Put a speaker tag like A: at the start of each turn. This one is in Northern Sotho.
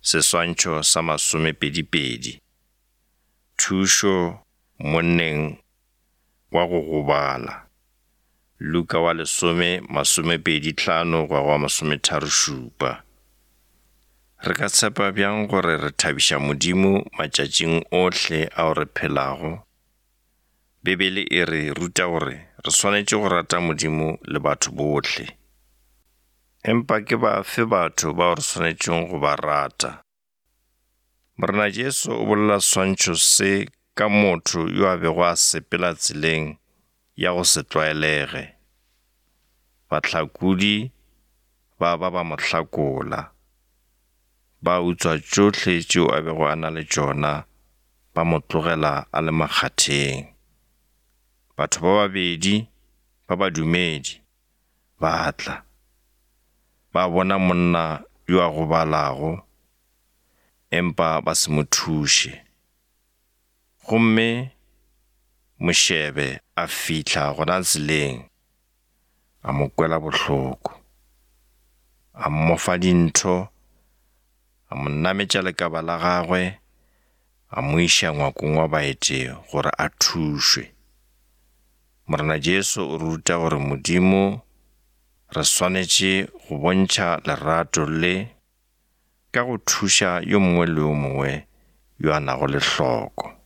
A: Seswantšho sa masomepedipedi. Thušo monneng wa go gobala. Luka wa lesome masomepedi hlano go ya go wa masometharošupa. Re ka tshepa bjang gore re thabiša Modimo matšatšing ohle ao re phelago? Bibele e re ruta gore re swanetše go rata Modimo le batho bohle. Empa ke bafe batho bao re swanetšego go ba rata? Morena Jesu o bolela seswantšho se ka motho yo a bego a sepela tseleng ya go se tlwaelege. Bahlakodi ba ba ba mo hlakola, ba utswa tšohle tšeo a bego a na le tšona, ba mo tlogela a le makgatheng. Batho ba babedi ba badumedi ba tla, ba bona monna yo a gobalago, empa ba se mo thuše. Gomme mošebe a fihla gona tseleng, a mo kwela bohloko, a mmofa dintho, a mo nametša lekaba la gagwe, a mo iša ngwakong wa baeti gore a thušwe. Morena Jesu o re ruta gore Modimo re swanetše go bontšha lerato le ka go thuša yo mongwe le yo mongwe yo a nago le hloko.